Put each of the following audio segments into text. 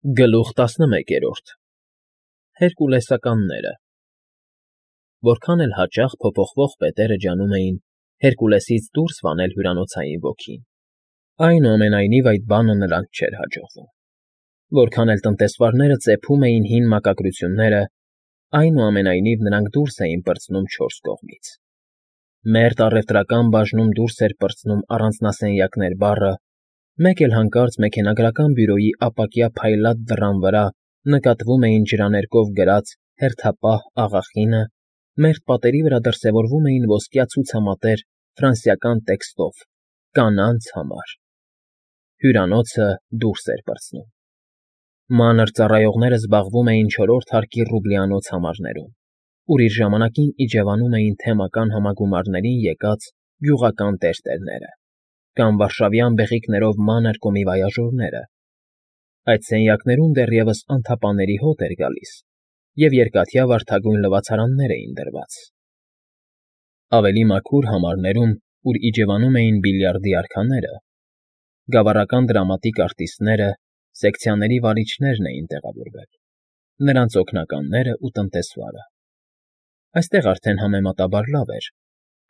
Գլուխ 11 Հերկուլեսականները Որքան էլ հաճախ փոփոխվող պետերը ջանում էին Հերկուլեսից դուրս վանել հյուրանոցային ոգին, այնուամենայնիվ այդ բանը նրանց չէր հաջողվում. որքան էլ տնտեսվարները ծեփում էին հին մակագրությունները, այնուամենայնիվ նրանք դուրս էին պրծնում չորս կողմից. Մերթ առևտրական բաժնում դուրս էր պրծնում առանձնասենյակներ բառը, մեկ էլ հանկարծ մեքենագրական բյուրոյի ապակյա փայլատ դռան վրա նկատվում էին ջրաներկով գրած հերթապահ աղախինը, մերթ պատերի վրա դրսևորվում էին ոսկյա ցուցամատեր ֆրանսիական տեքստով «Կանանց համար»։ Հյուրանոցը դուրս էր պրծնում։ Մանր ծառայողները զբաղվում էին չորրորդ հարկի ռուբլյանոց համարներում, ուր իր ժամանակին իջևանում էին թեմական համագումարներին եկած գյուղական տերտերները կամ վարշավյան բեղիկներով մանր կոմիվոյաժորները։ Այդ սենյակներում դեռևս անթափանների հոտ էր գալիս, և երկաթյա վարդագույն լվացարաններ էին դրված։ Ավելի մաքուր համարներում, ուր իջևանում էին բիլիարդի արքաները, գավառական դրամատիկ արտիստները, սեկցիաների վարիչներն էին տեղավորվել, նրանց օգնականները ու տնտեսվարը։ Այստեղ արդեն համեմատաբար լավ էր,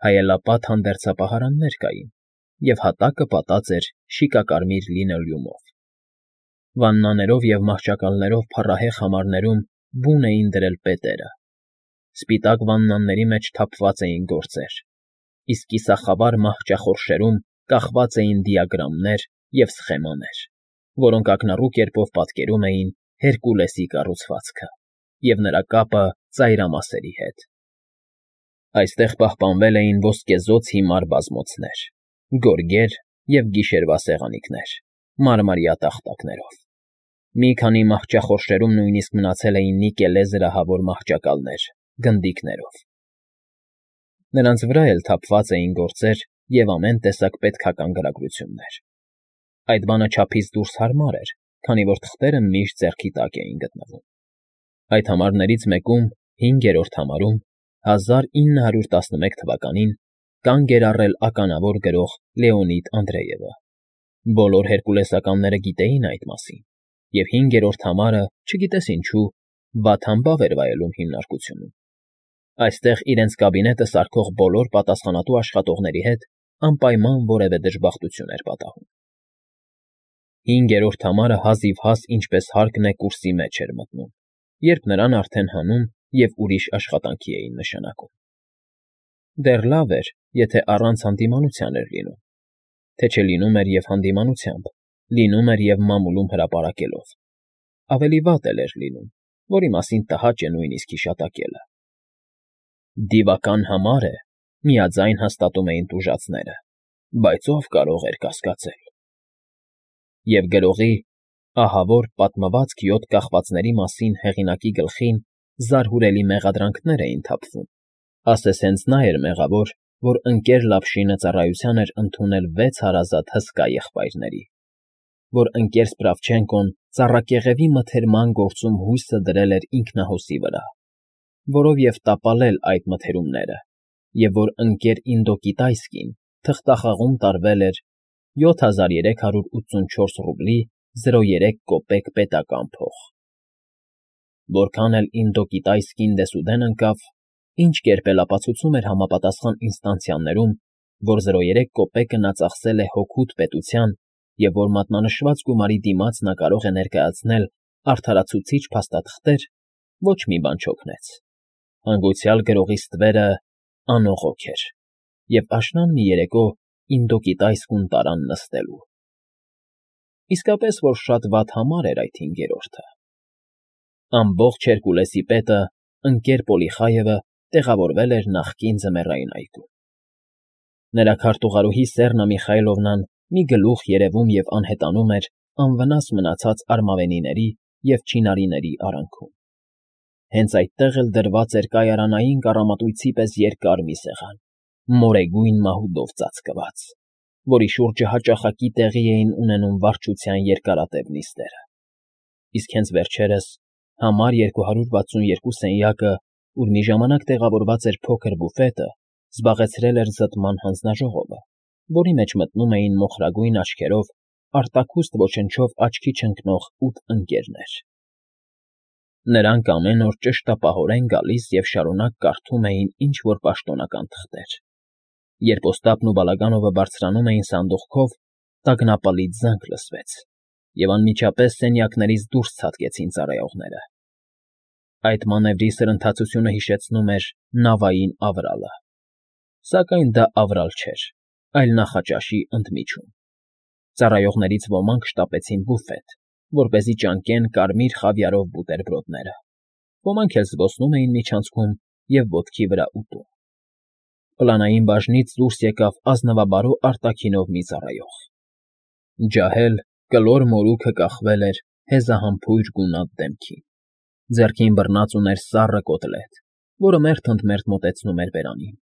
հայելապատ հանդերձապահարաններ կային, և հատակը պատած էր շիկակարմիր լինոլեումով։ Վաննաներով և մահճակալներով փառահեղ համարներում բուն էին դրել պետերը։ Սպիտակ վաննաների մեջ թափված էին գործեր, իսկ կիսախավար մահճախորշերում կախված էին դիագրամներ և սխեմաներ, որոնք ակնառու կերպով պատկերում էին Հերկուլեսի կառուցվածքը և նրա կապը ծայրամասերի հետ։ Այստեղ պահպանվել էին ոսկեզօծ հիմար բազմոցներ, գորգեր և գիշերվա սեղանիքներ՝ մարմարյա տախտակներով։ Մի քանի մահճախորշերում նույնիսկ մնացել էին նիկելե զրահավոր մահճակալներ գնդիկներով։ Նրանց վրա էլ թափված էին գործեր և ամեն տեսակ պետքական գրագրություններ։ Այդ բանը չափից դուրս հարմար էր, քանի որ թղթերը միշտ ձեռքի տակ էին գտնվում։ Այդ համարներից մեկում, 5-րդ համարում, 1911 թվականին կանգ էր առել ականավոր գրող Լեոնիդ Անդրեևը։ Բոլոր հերկուլեսականները գիտեին այդ մասին, և 5-րդ համարը, չգիտես ինչու, վատ֊համբավ էր վայելում հիմնարկությունում։ Այստեղ իրենց կաբինետը սարքող բոլոր պատասխանատու աշխատողների հետ անպայման որևէ դժբախտություն էր պատահում։ 5-րդ համարը հազիվհազ ինչպես հարկն է կուրսի մեջ էր մտնում, երբ նրան արդեն հանում և ուրիշ աշխատանքի էին նշանակում։ Դեռ լավ էր, եթե առանց հանդիմանության էր լինում, թե չէ լինում էր և հանդիմանությամբ, լինում էր և մամուլում հրապարակելով, ավելի վատ էլ էր լինում, որի մասին տհաճ է նույնիսկ հիշատակելը։ «Դիվական համար է», միաձայն հաստատում էին տուժածները, բայց ով կարող էր կասկածել։ Եվ գրողի «Ահավոր պատմվածք 7 կախվածների մասին» հեղինակի գլխին զարհուրելի մեղադրանքներ էին թափվում, ասես հենց նա էր մեղավոր, որ ընկեր Լավշինը ծառայության էր ընդունել 6 հարազատ հսկա եղբայրների, որ ընկեր Սպրավչենկոն ծառակեղևի մթերման գործում հույսը դրել էր ինքնահոսի վրա, որով և տապալել այդ մթերումները, և որ ընկեր Ինդոկիտայսկին թղթախաղում տարվել էր 7384 ռուբլի 03 կոպեկ պետական փող։ Որքան էլ Ինդոկիտայսկին դեսուդեն ընկավ, ինչ կերպ էլ ապացուցում էր համապատասխան ինստանցիաներում, որ 03 կոպեկը նա ծախսել է հօգուտ պետության և որ մատնանշված գումարի դիմաց նա կարող է ներկայացնել արդարացուցիչ փաստաթղթեր, ոչ մի բան չօգնեց։ Հանգուցյալ գրողի ստվերը անողոք էր, և աշնան մի երեկո Ինդոկիտայսկուն տարան նստելու։ Իսկապես որ շատ վատ համար էր այդ 5-րդը։ Ամբողջ Հերկուլեսի պետը, ընկեր Պոլիխայևը, տեղավորվել էր նախկին ձմեռային այգում։ Նրա քարտուղարուհի Սեռնա Միխայլովնան մի գլուխ երևում և անհետանում էր անվնաս մնացած արմավենիների և չինարիների արանքում։ Հենց այդտեղ էլ դրված էր կայարանային կառամատույցի պես երկար մի սեղան, մորեգույն մահուդով ծածկված, որի շուրջը հաճախակի տեղի էին ունենում վարչության երկարատև նիստերը։ Իսկ հենց վերջերս համար 262 սենյակը, ուր մի ժամանակ տեղավորված էր փոքր բուֆետը, զբաղեցրել էր զտման հանձնաժողովը, որի մեջ մտնում էին մոխրագույն աչքերով արտաքուստ ոչնչով աչքի չընկնող 8 ընկերներ։ Նրանք ամեն օր ճշտապահորեն գալիս և շարունակ կարդում էին ինչ֊որ պաշտոնական թղթեր։ Երբ Օստապն ու Բալագանովը բարձրանում էին սանդուղքով, տագնապալից զանգ լսվեց, և անմիջապես սենյակներից դուրս ցատկեցին ծառայողները։ Այդ մանևրի սրընթացությունը հիշեցնում էր նավային ավրալը։ Սակայն դա ավրալ չէր, այլ նախաճաշի ընդմիջում։ Ծառայողներից ոմանք շտապեցին բուֆետ, որպեսզի ճանկեն կարմիր խավիարով բուտերբրոդները, ոմանք էլ զբոսնում էին միջանցքում և ոտքի վրա ուտում։ Պլանային բաժնից դուրս եկավ ազնվաբարո արտաքինով մի ծառայող։ Ջահել, կլոր մորուքը կախվել էր հեզահամբույր գունատ դեմքին։ Ձեռքին բռնած ուներ սառը կոտլետ, որը մերթ ընդ մերթ մոտեցնում էր բերանին,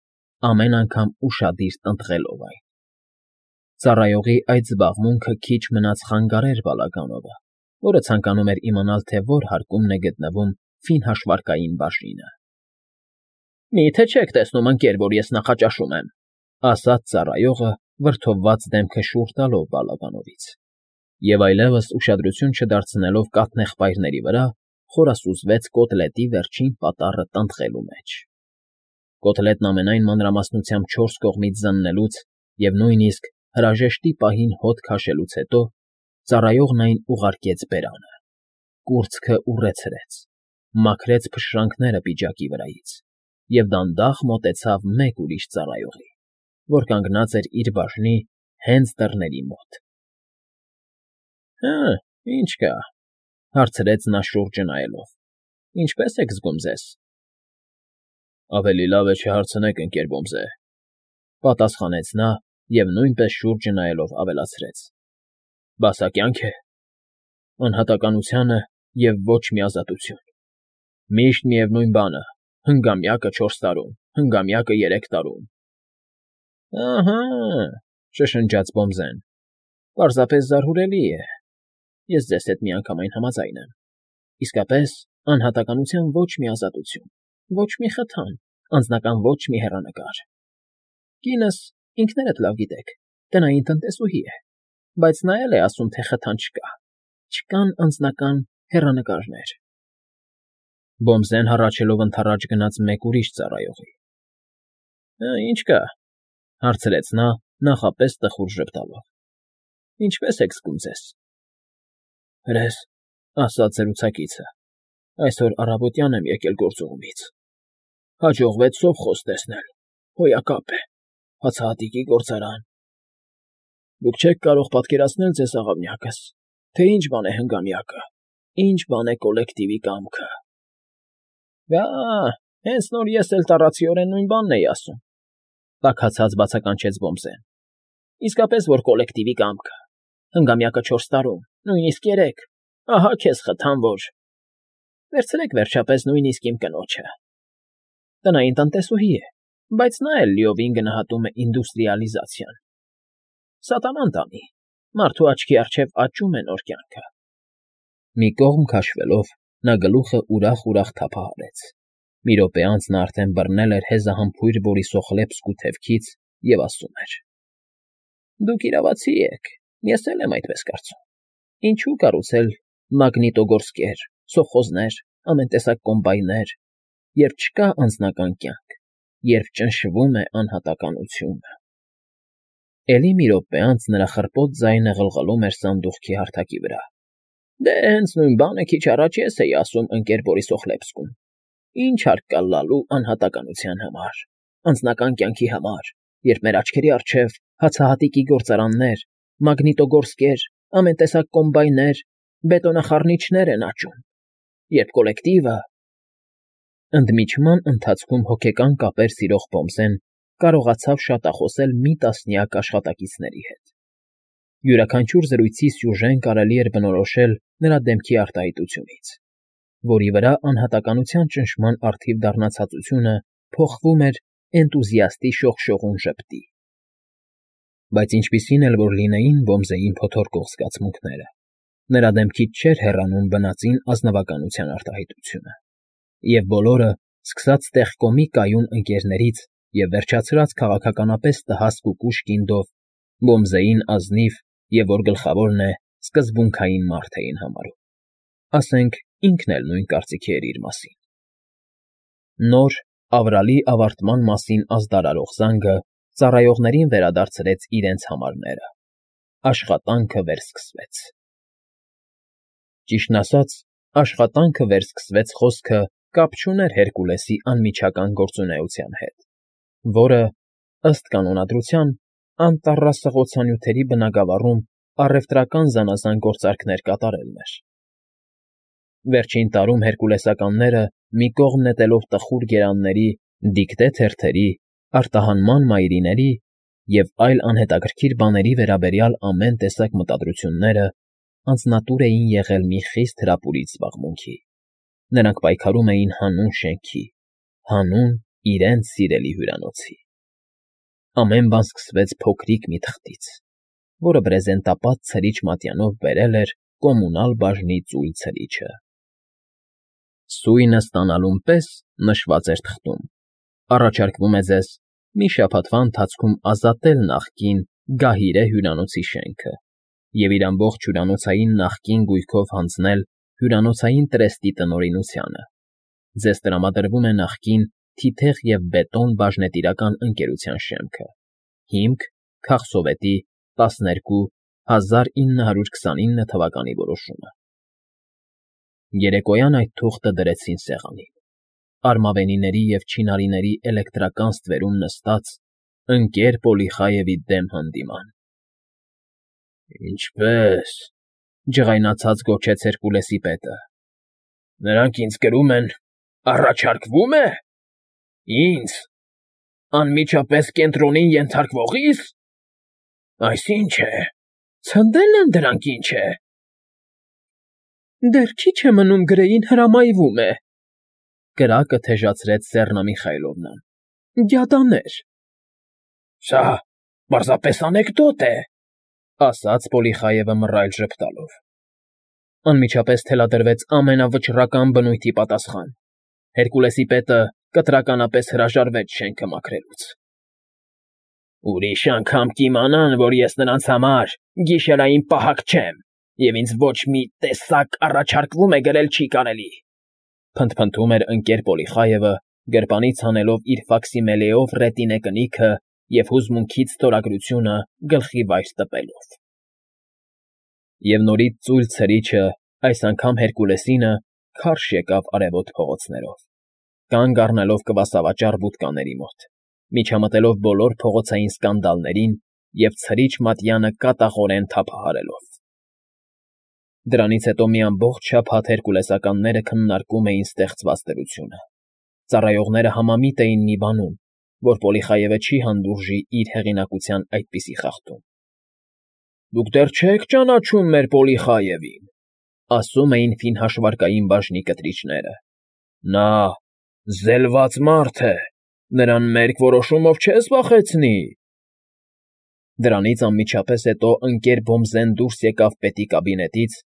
ամեն անգամ ուշադիր տնտղելով այն։ Ծառայողի այդ զբաղմունքը քիչ մնաց խանգարեր Բալագանովը, որը ցանկանում էր իմանալ, թե որ հարկումն է գտնվում ֆինհաշվարկային բաժինը։ «Մի՞թե չեք տեսնում, ընկեր, որ ես նախաճաշում եմ,֊ ասաց ծառայողը, վրդովված դեմքը շուռ տալով Բալագանովից, և այլևս ուշադրություն չդարձնելով կաթնեղբայրների վրա, խորասուզվեց կոտլետի վերջին պատառը տնտղելու մեջ։ Կոտլետն ամենայն մանրամասնությամբ 4 կողմից զննելուց և նույնիսկ հրաժեշտի պահին հոտ քաշելուց հետո ծառայողն այն ուղարկեց բերանը, կուրծքը ուռեցրեց, մաքրեց փշրանքները պիջակի վրայից և դանդաղ մոտեցավ մեկ ուրիշ ծառայողի, որ կանգնած էր իր բաժնի հենց դռների մոտ։ «Հը, ինչ կա,֊ հարցրեց նա շուրջը նայելով,֊ ինչպե՞ս եք զգում ձեզ»։ «Ավելի լավ է չհարցնեք, ընկեր Բոմզե,֊ պատասխանեց նա և նույնպես շուրջը նայելով ավելացրեց,֊ բասակյա՞նք է, անհատականությանը և ոչ մի ազատություն, միշտ միևնույն բանը, հնգամյակը 4 տարում, հնգամյակը 3 տարում»։ «Ահա,֊ շշնջաց Բոմզեն,֊ պարզապես զարհուրելի է, ես ձեզ հետ միանգամայն համաձայն եմ, իսկապես անհատականության ոչ մի ազատություն, ոչ մի խթան, անձնական ոչ մի հեռանկար։ Կինս, ինքներդ լավ գիտեք, տնային տնտեսուհի է, բայց նա էլ է ասում, թե խթան չկա, չկան անձնական հեռանկարներ»։ Բոմզեն հառաչելով ընդառաջ գնաց մեկ ուրիշ ծառայողի։ «Ինչ կա,֊ հարցրեց նա, նախապես տխուր ժպտալով,֊ ինչպե՞ս եք զգում ձեզ»։ «Հրես,֊ ասաց զրուցակիցը,֊ այսօր առավոտյան եմ եկել գործուղումից, հաջողվեց սովխոզ տեսնել, հոյակապ է, հացահատիկի գործարան։ Դուք չեք կարող պատկերացնել ձեզ, աղավնյակս, թե ինչ բան է հնգամյակը, ինչ բան է կոլեկտիվի կամքը»։ «Բա, հենց նոր ես էլ տառացիորեն նույն բանն էի ասում,֊ տաքացած բացականչեց Բոմզեն,֊ իսկապես որ կոլեկտիվի կամքը, հնգամյակը 4 տարում, նույնիսկ 3, ահա քեզ խթան, որ… Վերցրեք վերջապես նույնիսկ իմ կնոջը. տնային տնտեսուհի է, բայց նա էլ լիովին գնահատում է ինդուստրիալիզացիան։ Սատանան տանի, մարդու աչքի առջև աճում է նոր կյանքը»։ Մի կողմ քաշվելով, նա գլուխը ուրախ թափահարեց։ Մի րոպե անց նա արդեն բռնել էր հեզահամբույր Բորիսոխլեպսկու թևքից և ասում էր. «Դուք իրավացի եք, ես էլ եմ այդպես կարծում։ Ինչու կառուցել մագնիտոգորսկեր, սովխոզներ, ամեն տեսակ կոմբայներ, երբ չկա անձնական կյանք, երբ ճնշվում է անհատականությունը»։ Էլի մի րոպե անց նրա խռպոտ ձայնը ղլղլում էր սանդուղքի հարթակի վրա։ «Դե հենց նույն բանը քիչ առաջ ես էի ասում, ընկեր Բորիսոխլեպսկում. ինչ հարկ կա լալու անհատականության համար, անձնական կյանքի համար, երբ մեր աչքերի առջև հացահատիկի գործարաններ, մագնիտոգորսկեր, ամեն տեսակ կոմբայներ, բետոնախառնիչներ են աճում, երբ կոլեկտիվը…»։ Ընդմիջման ընթացքում հոգեկան կապեր սիրող Բոմզեն կարողացավ շատախոսել մի տասնյակ աշխատակիցների հետ։ Յուրաքանչյուր զրույցի սյուժեն կարելի էր բնորոշել նրա դեմքի արտահայտությունից, որի վրա անհատականության ճնշման առթիվ դառնացածությունը փոխվում էր էնտուզիաստի շողշողուն ժպտի։ Բայց ինչպիսին էլ որ լինեին Բոմզեին փոթորկող զգացմունքները, նրա դեմքից չէր հեռանում բնածին ազնվականության արտահայտությունը, և բոլորը, սկսած տեղկոմի կայուն ընկերներից և վերջացրած քաղաքականապես տհաս կուկուշ կինդով, Բոմզեին ազնիվ և որ գլխավորն է, սկզբունքային մարդ էին համարում, ասենք ինքն էլ նույն կարծիքի էր իր մասին։ Նոր, ավրալի ավարտման մասին ազդարարող զանգը ծառայողներին վերադարձրեց իրենց համարները։ Աշխատանքը վերսկսվեց։ Ճիշտն ասած, աշխատանքը վերսկսվեց խոսքը կապ չուներ Հերկուլեսի անմիջական գործունեության հետ, որը, ըստ կանոնադրության, անտառասղոցանյութերի բնագավառում առևտրական զանազան գործարքներ կատարելն էր։ Վերջին տարում հերկուլեսականները, մի կողմ նետելով տխուր գերանների, դիկտե թերթերի, արտահանման մայրիների և այլ անհետաքրքիր բաների վերաբերյալ ամեն տեսակ մտադրությունները, անձնատուր էին եղել մի խիստ հրապուրիչ զբաղմունքի. նրանք պայքարում էին հանուն շենքի, հանուն իրենց սիրելի հյուրանոցի։ Ամեն բան սկսվեց փոքրիկ մի թղթից, որը բրեզենտապատ ցրիչ մատյանով բերել էր կոմունալ բաժնի ծույլ ցրիչը։ Սույնը ստանալուն պես նշված էր թղթում. առաջարկվում է ձեզ մի շաբաթվա ընթացքում ազատել նախկին Գահիրե հյուրանոցի շենքը և իր ամբողջ հյուրանոցային նախկին գույքով հանձնել հյուրանոցային տրեստի տնօրինությանը։ Ձեզ տրամադրվում է նախկին Թիթեղ և Բետոն բաժնետիրական ընկերության շեմքը, հիմք քաղսովետի 12/1929 թվականի որոշումը։ Երեկոյան այդ թուղթը դրեցին սեղանին, արմավենիների և չինարիների էլեկտրական ստվերում նստած ընկեր Պոլիխայևի դեմ հանդիման։ Ինչպե՞ս,֊ ջղայնացած գոչեց Հերկուլեսի պետը։ Նրանք ինձ կրում են, առաջարկվո՞ւմ է… Ինձ… անմիջապես կենտրոնին ենթարկվողի՞ս… Այս ի՞նչ է… Ցնդե՞լ են դրանք, ինչ է… Դեռ քիչ է մնում Գրեին հրամայվում է, կրակը թեժացրեց Սեռնա Միխայլովնան։ Գյադաներ… Սա պարզապես անեկդոտ է, ասաց Պոլիխայևը մռայլ ժպտալով։ Անմիջապես թելադրվեց ամենավճռական բնույթի պատասխան. Հերկուլեսի պետը կտրականապես հրաժարվեց շենքը մաքրելուց։ Ուրիշ անգամ կիմանան, որ ես նրանց համար գիշերային պահակ չեմ, և ինձ ոչ մի տեսակ առաջարկվում է գրել չի կարելի, փնթփնթում էր ընկեր Պոլիխայևը, գրպանից հանելով իր ֆաքսիմիլեով ռետինե կնիքը և հուզմունքից ստորագրությունը գլխի վայր տպելով։ Եվ նորից ծույլ ցրիչը, այս անգամ Հերկուլեսինը, քարշ եկավ արևոտ փողոցներով, կանգ առնելով կվասավաճառ բուդկաների մոտ, միջամտելով բոլոր փողոցային սկանդալներին և ցրիչ մատյանը կատաղորեն թափահարելով։ Դրանից հետո մի ամբողջ շաբաթ հերկուլեսականները քննարկում էին ստեղծված դրությունը։ Ծառայողները համամիտ էին մի բանում, որ Պոլիխայևը չի հանդուրժի իր հեղինակության այդպիսի խախտում։ Դուք դեռ չեք ճանաչում մեր Պոլիխայևին, ասում էին ֆինհաշվարկային բաժնի կտրիչները։ Նա զելված մարդ է, նրան մերկ որոշումով չես վախեցնի։ Դրանից անմիջապես հետո ընկեր Բոմզեն դուրս եկավ պետի կաբինետից,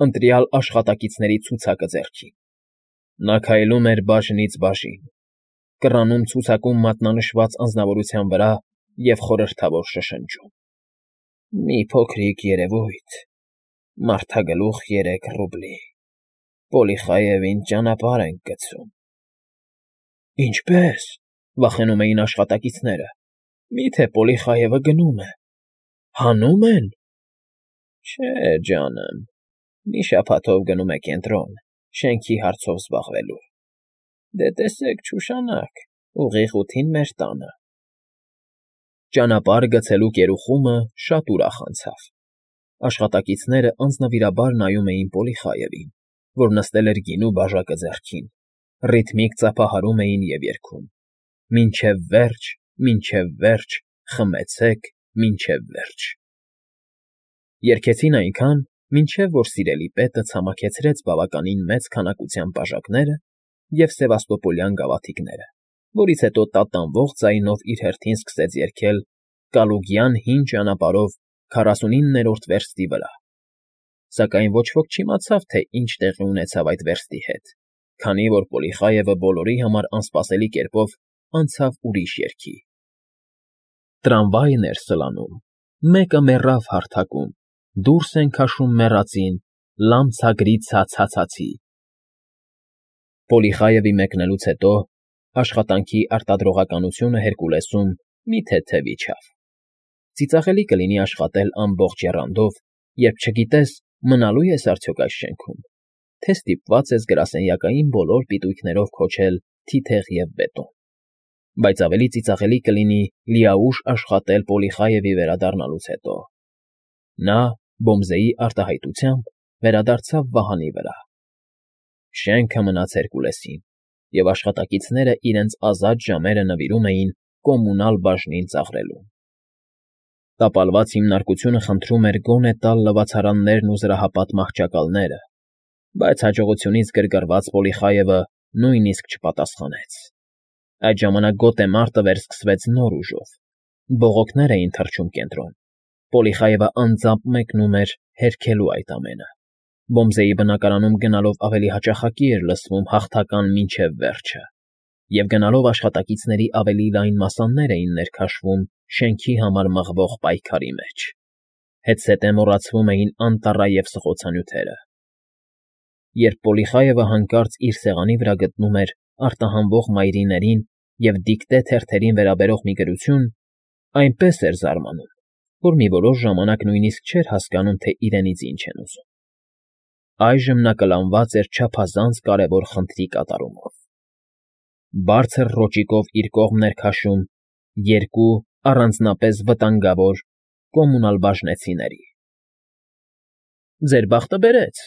ընտրյալ աշխատակիցների ցուցակը ձեռքին։ Նա քայլում էր բաժնից բաժին, կռանում ցուցակում մատնանշված անձնավորության վրա և խորհրդավոր շշնջում. Մի փոքրիկ երևույթ, մարդագլուխ 3 ռուբլի, Պոլիխայևին ճանապարհ ենք գցում։ Ինչպե՞ս,֊ վախենում էին աշխատակիցները, միթե Պոլիխայևը գնում է… Հանում են… Չէ, ջանմ, մի շաբաթով գնում է կենտրոն, շենքի հարցով զբաղվելու։ Դե տեսեք, չուշանաք, ուղիղ 8-ին մեր տանը։ Ճանապարհ գցելու կերուխումը շատ ուրախ անցավ։ Աշխատակիցները անձնվիրաբար նայում էին Պոլիխայևին, որ նստել էր գինու բաժակը ձեռքին, ռիթմիկ ծափահարում էին և երգում. Մինչև վերջ, մինչև վերջ, խմեցեք, մինչև վերջ… Երգեցին այնքան, մինչև որ սիրելի պետը ցամաքեցրեց բավականին մեծ քանակությամբ բաժակները և սևաստոպոլյան գավաթիկները, որից հետո տատանվող ձայնով իր հերթին սկսեց երգել Կալուգյան հին ճանապարհով 49-րդ վերստի վրա, սակայն ոչ ոք չիմացավ, թե ինչ տեղի ունեցավ այդ վերստի հետ, քանի որ Պոլիխայևը բոլորի համար անսպասելի կերպով անցավ ուրիշ երգի. Տրամվայն էր սլանում, մեկը մեռավ հարթակում, դուրս են քաշում մեռածին, լամցագրիցա ցացացի։ Պոլիխայևի մեկնելուց հետո աշխատանքի արտադրողականությունը Հերկուլեսում մի թեթև իջավ։ Ծիծաղելի կլինի աշխատել ամբողջ եռանդով, երբ չգիտես, մնալու ես արդյոք այս շենքում, թե ստիպված ես գրասենյակային բոլոր պիտույքներով քոչել թիթեղ և բետոն։ Բայց ավելի ծիծաղելի կլինի լիաուշ աշխատել Պոլիխայևի վերադառնալուց հետո։ Նա, Բոմզեի արտահայտությամբ, վերադարձավ վահանի վրա։ Շենքը մնաց Հերկուլեսին, և աշխատակիցները իրենց ազատ ժամերը նվիրում էին կոմունալ բաժնին ծաղրելուն։ Տապալված հիմնարկությունը խնդրում էր գոնե տալ լվացարաններն ու զրահապատ մահճակալները, բայց հաջողությունից գրգռված Պոլիխայևը նույնիսկ չպատասխանեց։ Այդ ժամանակ գոտեմարտը վերսկսվեց նոր ուժով։ Բողոքներ էին թռչում կենտրոն։ Պոլիխայևը անձամբ մեկնում էր հերքելու այդ ամենը։ Բոմզեի բնակարանում գնալով ավելի հաճախակի էր լսվում հաղթական մինչև վերջը, և գնալով աշխատակիցների ավելի լայն մասաններ էին ներքաշվում շենքի համար մղվող պայքարի մեջ։ Հետզհետե մոռացվում էին անտառայև սղոցանյութերը։ Երբ Պոլիխայևը հանկարծ իր սեղանի վրա գտնում էր արտահանվող մայրիներին և դիկտե թերթերին վերաբերող մի գրություն, այնպես էր զարմանում, որ մի որոշ ժամանակ նույնիսկ չէր հասկանում, թե իրենից ինչ են ուզում։ Այժմ նա կլանված էր չափազանց կարևոր խնդրի կատարումով։ Բարձր ռոճիկով իր կողմ ներքաշում երկու առանձնապես վտանգավոր կոմունալ բաժնեցիների։ «Ձեր բախտը բերեց»,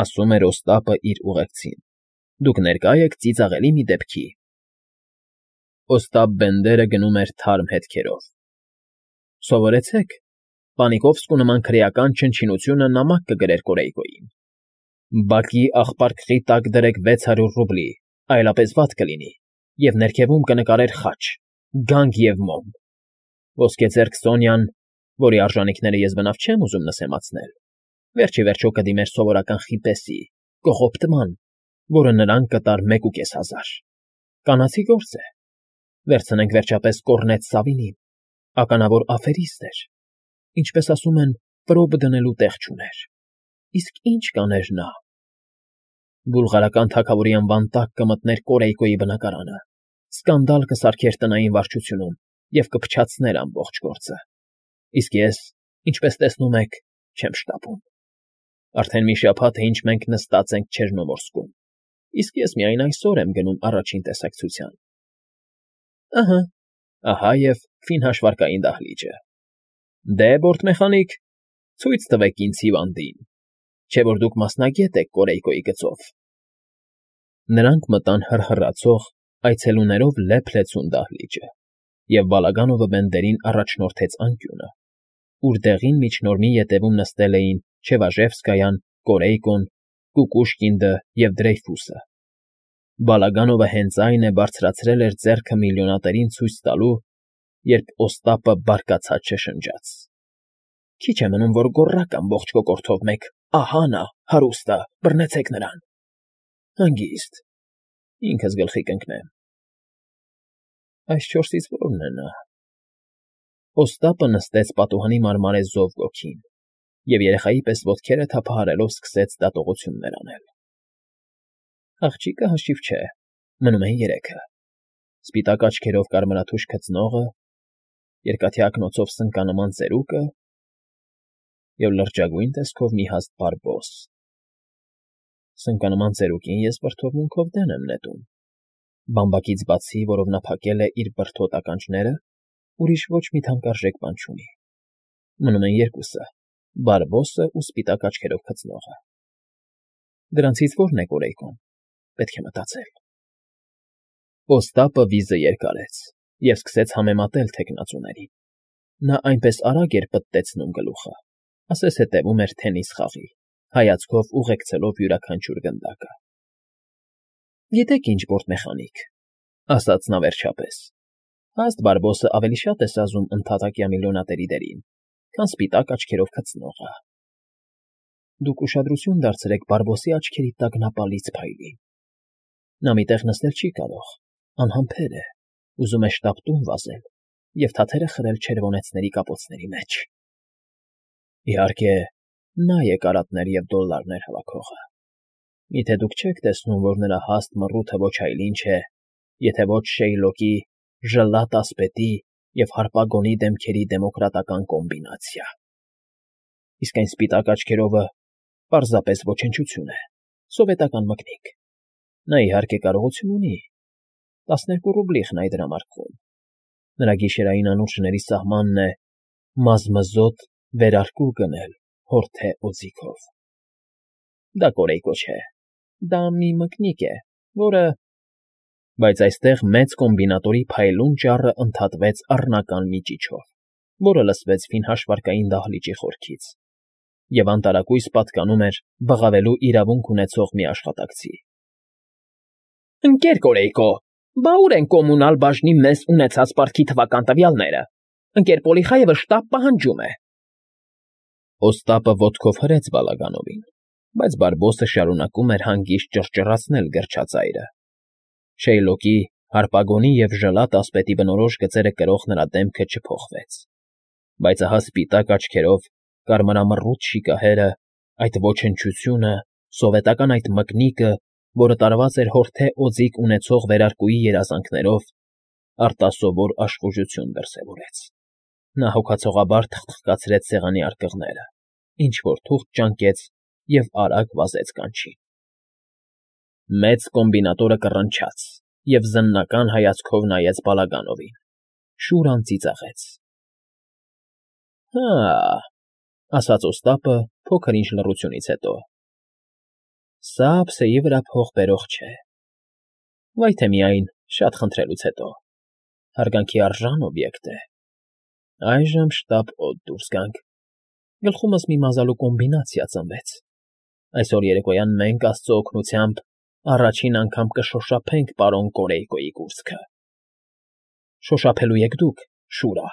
ասում էր Օստապը իր ուղեկցին։ «Դուք ներկա եք ծիծաղելի մի դեպքի»։ Օստապ Բենդերը գնում էր թարմ հետքերով։ «Սովորեցեք, Պանիկովսկու նման քրեական չնչինությունը նամակ կգրեր Կորեյկոյին։ Բակի աղպարկղի տակ դրեք 600 ռուբլի, այլապես վատ կլինի, և ներքևում կնկարեր խաչ, գանգ և մոմ։ Ոսկեձեռք Սոնյան, որի արժանիքները ես բնավ չեմ ուզում նսեմացնել, վերջ ի վերջո կդիմեր սովորական խիպեսի, կողոպտման, որը նրան կտար 1500։ Կանացի գործ է։ Վերցնենք վերջապես Կոռնետ Սավինին, ականավոր աֆերիստ էր, ինչպես ասում են, պրոբ դնելու տեղ չուներ։ Իսկ ինչ կաներ նա։ Բուլղարական թագավորի անվան տակ կմտներ Կորեյկոյի բնակարանը, սկանդալ կսարքեր տնային վարչությունում և կփչացներ ամբողջ գործը։ Իսկ ես, ինչպես տեսնում եք, չեմ շտապում։ Արդեն մի շաբաթ է, ինչ մենք նստած ենք Չեռնոմորսկում, իսկ ես միայն այսօր եմ գնում առաջին տեսակցության։ Ահա և ֆինհաշվարկային դահլիճը։ Դե, բորտմեխանիկ, ցույց տվեք ինձ հիվանդին, չէ որ դուք մասնագետ եք Կորեյկոյի գծով։ Նրանք մտան հռհռացող, այցելուներով լեփ֊լեցուն դահլիճը, և Բալագանովը Բենդերին առաջնորդեց անկյունը, ուր դեղին միջնորմի ետևում նստել էին Չևաժևսկայան, Կորեյկոն, Կուկուշկինդը և Դրեյֆուսը։ Բալագանովը հենց այն է բարձրացրել էր ձեռքը միլիոնատերին ցույց տալու, երբ Օստապը բարկացած շշնջաց. Քիչ է մնում, որ գոռաք ամբողջ կոկորդով մեկ. «Ահա նա, հարուստը, բռնեցեք նրան»։ Հանգիստ, ինքս գլխի կընկնեմ։ Այս չորսից որն է նա։ Օստապը նստեց պատուհանի մարմարեզով գոգին և երեխայի պես ոտքերը թափահարելով սկսեց դատողություններ անել։ Աղջիկը հաշիվ չէ, մնում են երեքը. սպիտակ աչքերով կարմրաթուշ քծնողը, երկաթյա ակնոցով սնկանման ծերուկը և լրջագույն տեսքով մի հաստ բարբոս։ Սնկանման ծերուկին ես վրդովմունքով դեն եմ նետում։ Բամբակից բացի, որով նա փակել է իր բրդոտ ականջները, ուրիշ ոչ մի թանկարժեք բան չունի։ Մնում են երկուսը՝ բարբոսը ու սպիտակ աչքերով քծնողը։ Դրանցից ո՞րն է Կորեյկոն, պետք է մտածել։ Օստապը վիզը երկարեց և սկսեց համեմատել թեկնածուներին։ Նա այնպես արագ էր պտտեցնում գլուխը, ասես հետևում էր թենիս խաղի, հայացքով ուղեկցելով յուրաքանչյուր գնդակը։ Գիտեք ինչ, բորտմեխանիկ, ասաց նա վերջապես, հաստ բարբոսը ավելի շատ է սազում ընդհատակյա միլիոնատերի դերին, քան սպիտակ աչքերով քծնողը։ Դուք ուշադրություն դարձրեք բարբոսի աչքերի տագնապալից փայլին։ Նա մի տեղ նստել չի կարող, անհամբեր է, ուզում է շտապ տուն վազել և թաթերը խրել չերվոնեցների կապոցների մեջ։ Իհարկե, նա է կարատներ և դոլլարներ հավաքողը։ Միթե դուք չեք տեսնում, որ նրա հաստ մռութը ոչ այլ ինչ է, եթե ոչ Շեյլոկի, ժլատ ասպետի և հարպագոնի դեմքերի դեմոկրատական կոմբինացիա։ Իսկ այն սպիտակ աչքերովը պարզապես ոչնչություն է, սովետական մկնիկ։ Նա, իհարկե, կարողություն ունի, 12 ռուբլի խնայ դրամարկղում։ Նրա գիշերային անուրջների սահմանն է մազմզոտ վերարկու գնել հորթե օձիքով։ Դա Կորեյկո չէ, դա մի մկնիկ է, որը… Բայց այստեղ մեծ կոմբինատորի փայլուն ճառը ընդհատվեց առնական մի ճիչով, որը լսվեց ֆինհաշվարկային դահլիճի խորքից, և անտարակույս պատկանում էր բղավելու իրավունք ունեցող մի աշխատակցի։ Ընկեր Կորեյկո, բա ուր են կոմունալ բաժնի մեզ ունեցած պարտքի թվական տվյալները։ Ընկեր Պոլիխաևը շտապ պահանջում է։ Օստապը ոտքով հրեց Բալագանովին, բայց Բարբոսը շարունակում էր հանգիստ ճռճռացնել գրչածայրը։ Շեյլոկի, հարպագոնի և ժլատ ասպետի բնորոշ գծերը կրող նրա դեմքը չփոխվեց, բայց ահա սպիտակ աչքերով կարմրամռութ շիկահերը, այդ ոչնչությունը, սովետական այդ մկնիկը, որը տարված էր հորթե օձիք ունեցող վերարկուի երազանքներով, արտասովոր աշխուժություն դրսևորեց։ Նա հոգացողաբար թխթխկացրեց սեղանի արկղները, ինչ֊որ թուղթ ճանկեց և արագ վազեց կանչին։ Մեծ կոմբինատորը կռնչաց և զննական հայացքով նայեց Բալագանովին, շուռ անծիծաղեց։ Հա՜, ասաց Օստապը փոքր-ինչ լռությունից հետո, սա ափսեի վրա փող բերող չէ, վայ թե միայն շատ խնդրելուց հետո, հարգանքի արժան օբյեկտ է։ Այժմ շտապ օդ դուրս գանք, գլխումս մի մազալու կոմբինացիա ծնվեց։ Այսօր երեկոյան մենք, աստծո օգնությամբ, առաջին անգամ կշոշափենք պարոն Կորեյկոյի կուրծքը։ Շոշափելու եք դուք, Շուրա։